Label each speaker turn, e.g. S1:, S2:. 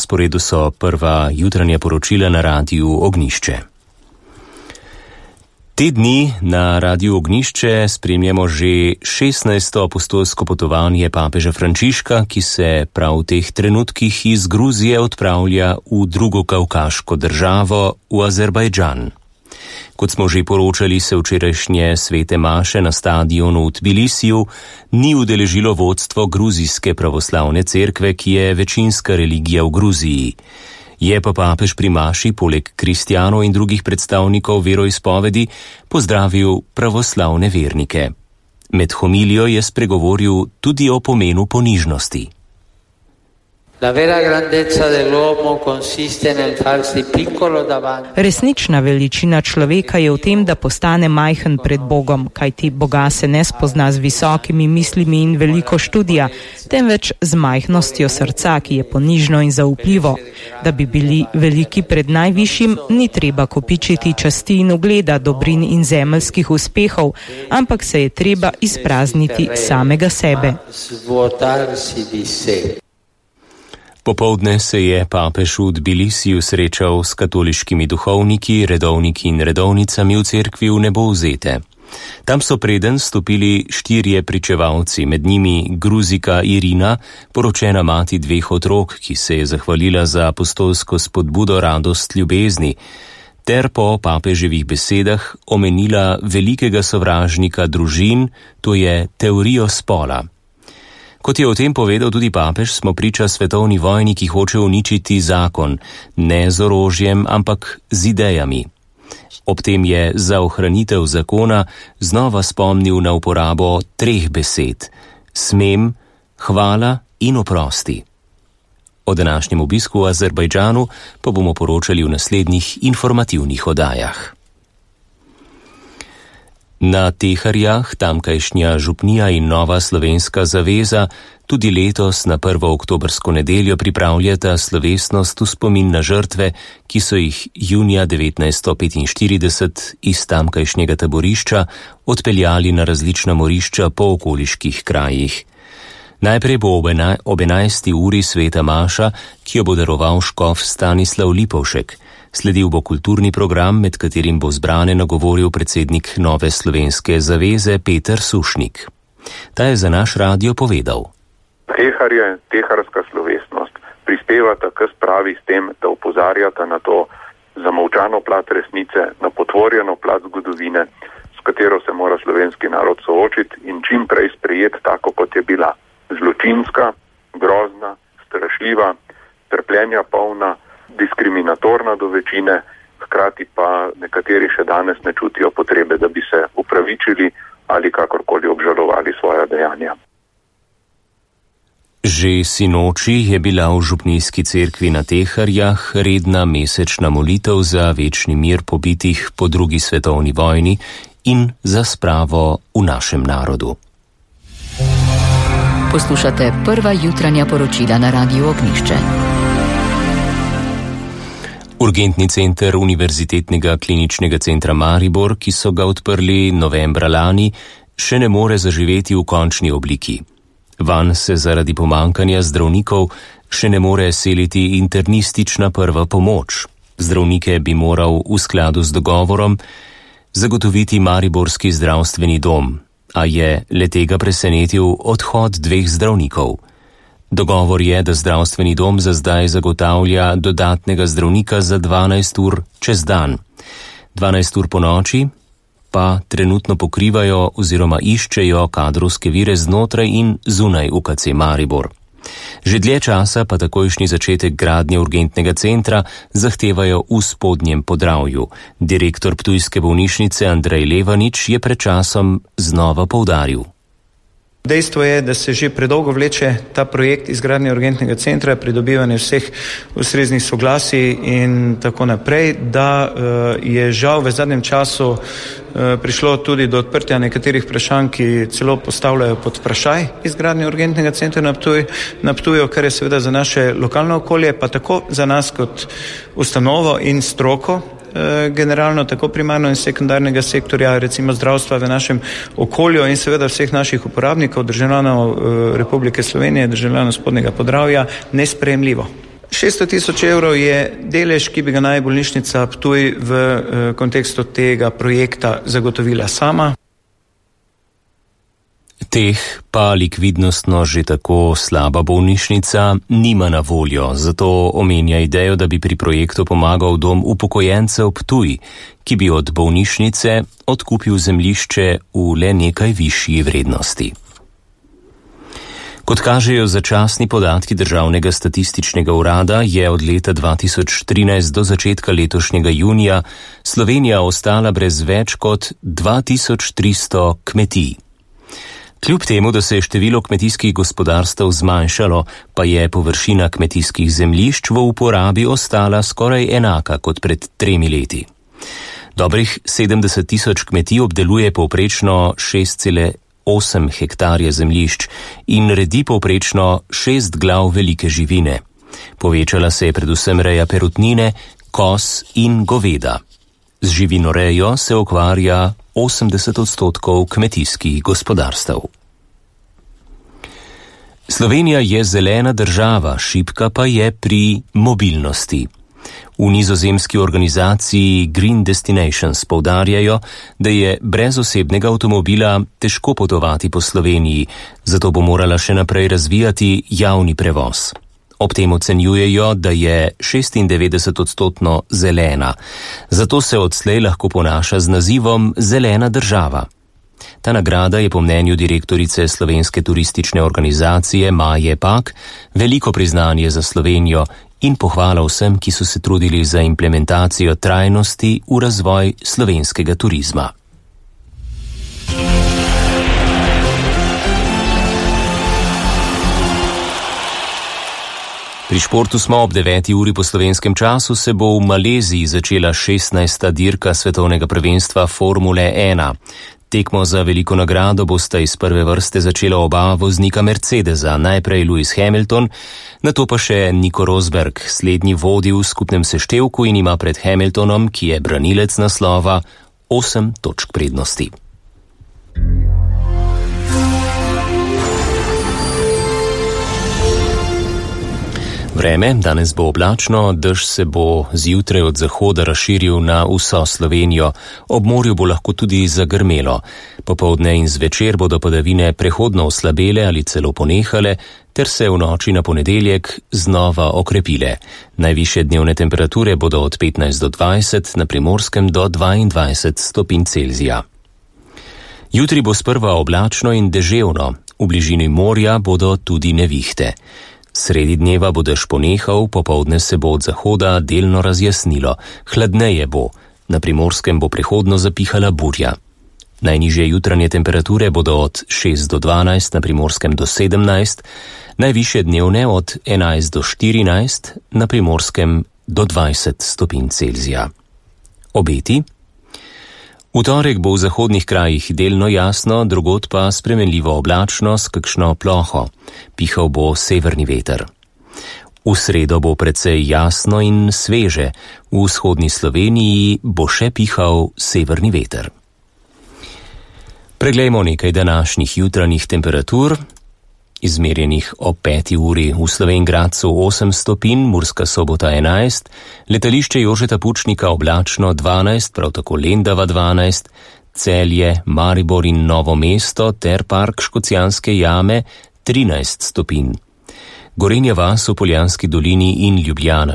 S1: sporedu so prva jutranja poročila na Radiu Ognjišče. Te dni na Radiu Ognjišče spremljamo že 16. apostolsko potovanje papeža Frančiška, ki se prav v teh trenutkih iz Gruzije odpravlja v drugo kavkaško državo, v Azerbajdžan. Kot smo že poročali, se včerajšnje svete maše na stadionu v Tbilisiju ni udeležilo vodstvo gruzijske pravoslavne cerkve, ki je večinska religija v Gruziji. Je pa papež pri maši, poleg kristjanov in drugih predstavnikov veroizpovedi, pozdravil pravoslavne vernike. Med homilijo je spregovoril tudi o pomenu ponižnosti.
S2: Resnična veličina človeka je v tem, da postane majhen pred Bogom, kajti Boga se ne spozna z visokimi mislimi in veliko študija, temveč z majhnostjo srca, ki je ponižno in zaupljivo. Da bi bili veliki pred najvišjim, ni treba kopičiti časti in ugleda, dobrin in zemeljskih uspehov, ampak se je treba izprazniti samega sebe.
S1: Popoldne se je papež v Tbilisiju srečal s katoliškimi duhovniki, redovniki in redovnicami v cerkvi v Nebovzete. Tam so preden stopili 4 pričevalci, med njimi Gruzika Irina, poročena mati 2 otrok, ki se je zahvalila za apostolsko spodbudo radost ljubezni, ter po papeževih besedah omenila velikega sovražnika družin, to je teorijo spola. Kot je o tem povedal tudi papež, smo priča svetovni vojni, ki hoče uničiti zakon, ne z orožjem, ampak z idejami. Ob tem je za ohranitev zakona znova spomnil na uporabo 3 besed: smem, hvala in oprosti. O današnjem obisku v Azerbajdžanu pa bomo poročali v naslednjih informativnih oddajah. Na Teharjah tamkajšnja župnija in Nova slovenska zaveza tudi letos na 1. oktobrsko nedeljo pripravljata slovesnost v spomin na žrtve, ki so jih junija 1945 iz tamkajšnjega taborišča odpeljali na različna morišča po okoliških krajih. Najprej bo ob 11. uri sveta maša, ki jo bo daroval škof Stanislav Lipovšek. Sledil bo kulturni program, med katerim bo zbrane nagovoril predsednik Nove slovenske zaveze Peter Sušnik. Ta je za naš radio povedal.
S3: Teharje, teharska slovesnost prispevata k spravi s tem, da opozarjata na to zamolčano plat resnice, na potvorjeno plat zgodovine, s katero se mora slovenski narod soočiti in čim prej sprejeti tako, kot je bila. Zločinska, grozna, strašljiva, trpljenja polna, diskriminatorna do večine, hkrati pa nekateri še danes ne čutijo potrebe, da bi se upravičili ali kakorkoli obžalovali svoja dejanja.
S1: Že sinoči je bila v župnijski cerkvi na Teharjah redna mesečna molitev za večni mir pobitih po 2. svetovni vojni in za spravo v našem narodu.
S4: Poslušate prva jutranja poročila na Radiu Ognjišče.
S1: Urgentni center Univerzitetnega kliničnega centra Maribor, ki so ga odprli novembra lani, še ne more zaživeti v končni obliki. Vanj se zaradi pomankanja zdravnikov še ne more seliti internistična prva pomoč. Zdravnike bi moral v skladu z dogovorom zagotoviti mariborski zdravstveni dom, a je letega presenetil odhod 2 zdravnikov. Dogovor je, da zdravstveni dom za zdaj zagotavlja dodatnega zdravnika za 12 ur čez dan. 12 ur po noči pa trenutno pokrivajo oziroma iščejo kadrovske vire znotraj in zunaj UKC Maribor. Že dlje časa pa takojšnji začetek gradnje urgentnega centra zahtevajo v Spodnjem Podravju. Direktor ptujske bolnišnice Andrej Levanič je pred časom znova poudaril.
S5: Dejstvo je, da se že predolgo vleče ta projekt izgradnje urgentnega centra, pridobivanje vseh ustreznih soglasij in tako naprej, da je žal v zadnjem času prišlo tudi do odprtja nekaterih vprašanj, ki celo postavljajo pod vprašaj izgradnje urgentnega centra na Ptuju, kar je seveda za naše lokalno okolje, pa tako za nas kot ustanovo in stroko, generalno tako primarno in sekundarnega sektorja, recimo zdravstva v našem okolju in seveda vseh naših uporabnikov, državljanov Republike Slovenije, državljanov Spodnjega Podravja, nesprejemljivo. 600 000 evrov je delež, ki bi ga naj bolnišnica Ptuj v kontekstu tega projekta zagotovila sama.
S1: Teh pa likvidnostno že tako slaba bolnišnica nima na voljo, zato omenja idejo, da bi pri projektu pomagal dom upokojencev Ptuj, ki bi od bolnišnice odkupil zemljišče v le nekaj višji vrednosti. Kot kažejo začasni podatki Državnega statističnega urada, je od leta 2013 do začetka letošnjega junija Slovenija ostala brez več kot 2300 kmetij. Kljub temu, da se je število kmetijskih gospodarstev zmanjšalo, pa je površina kmetijskih zemljišč v uporabi ostala skoraj enaka kot pred 3 leti. Dobrih 70 000 kmetij obdeluje povprečno 6,8 hektarja zemljišč in redi povprečno 6 glav velike živine. Povečala se je predvsem reja perutnine, koz in goveda. Z živinorejo se ukvarja 80% kmetijskih gospodarstev. Slovenija je zelena država, šibka pa je pri mobilnosti. V nizozemski organizaciji Green Destinations poudarjajo, da je brez osebnega avtomobila težko potovati po Sloveniji, zato bo morala še naprej razvijati javni prevoz. Ob tem ocenjujejo, da je 96% zelena, zato se odslej lahko ponaša z nazivom Zelena država. Ta nagrada je po mnenju direktorice Slovenske turistične organizacije Maje Pak veliko priznanje za Slovenijo in pohvala vsem, ki so se trudili za implementacijo trajnosti v razvoj slovenskega turizma. Pri športu smo ob 9. uri po slovenskem času, se bo v Maleziji začela 16. dirka svetovnega prvenstva Formule 1. Tekmo za veliko nagrado bosta iz prve vrste začela oba voznika Mercedesa, najprej Lewis Hamilton, nato pa še Nico Rosberg. Slednji vodi v skupnem seštevku in ima pred Hamiltonom, ki je branilec naslova, 8 točk prednosti. Vreme, danes bo oblačno, dež se bo zjutraj od zahoda razširil na vso Slovenijo, ob morju bo lahko tudi zagrmelo. Popoldne in zvečer bodo padavine prehodno oslabele ali celo ponehale, ter se v noči na ponedeljek znova okrepile. Najvišje dnevne temperature bodo od 15 do 20, na Primorskem do 22 stopinj Celzija. Jutri bo sprva oblačno in deževno, v bližini morja bodo tudi nevihte. Sredi dneva bo dež ponehal, popoldne se bo od zahoda delno razjasnilo, hladneje bo, na Primorskem bo prehodno zapihala burja. Najnižje jutranje temperature bodo od 6 do 12, na Primorskem do 17, najvišje dnevne od 11 do 14, na Primorskem do 20 stopinj Celzija. Obeti? V torek bo v zahodnih krajih delno jasno, drugod pa spremenljivo oblačno s kakšno ploho. Pihal bo severni veter. V sredo bo precej jasno in sveže, v vzhodni Sloveniji bo še pihal severni veter. Preglejmo nekaj današnjih jutranjih temperatur. Izmerjenih ob 5. uri v Slovenj Gradcu 8 stopinj, Murska Sobota 11, letališče Jožeta Pučnika oblačno 12, prav tako Lendava 12, Celje, Maribor in Novo mesto ter park Škocjanske jame 13 stopinj. Gorenja vas v Poljanski dolini in Ljubljana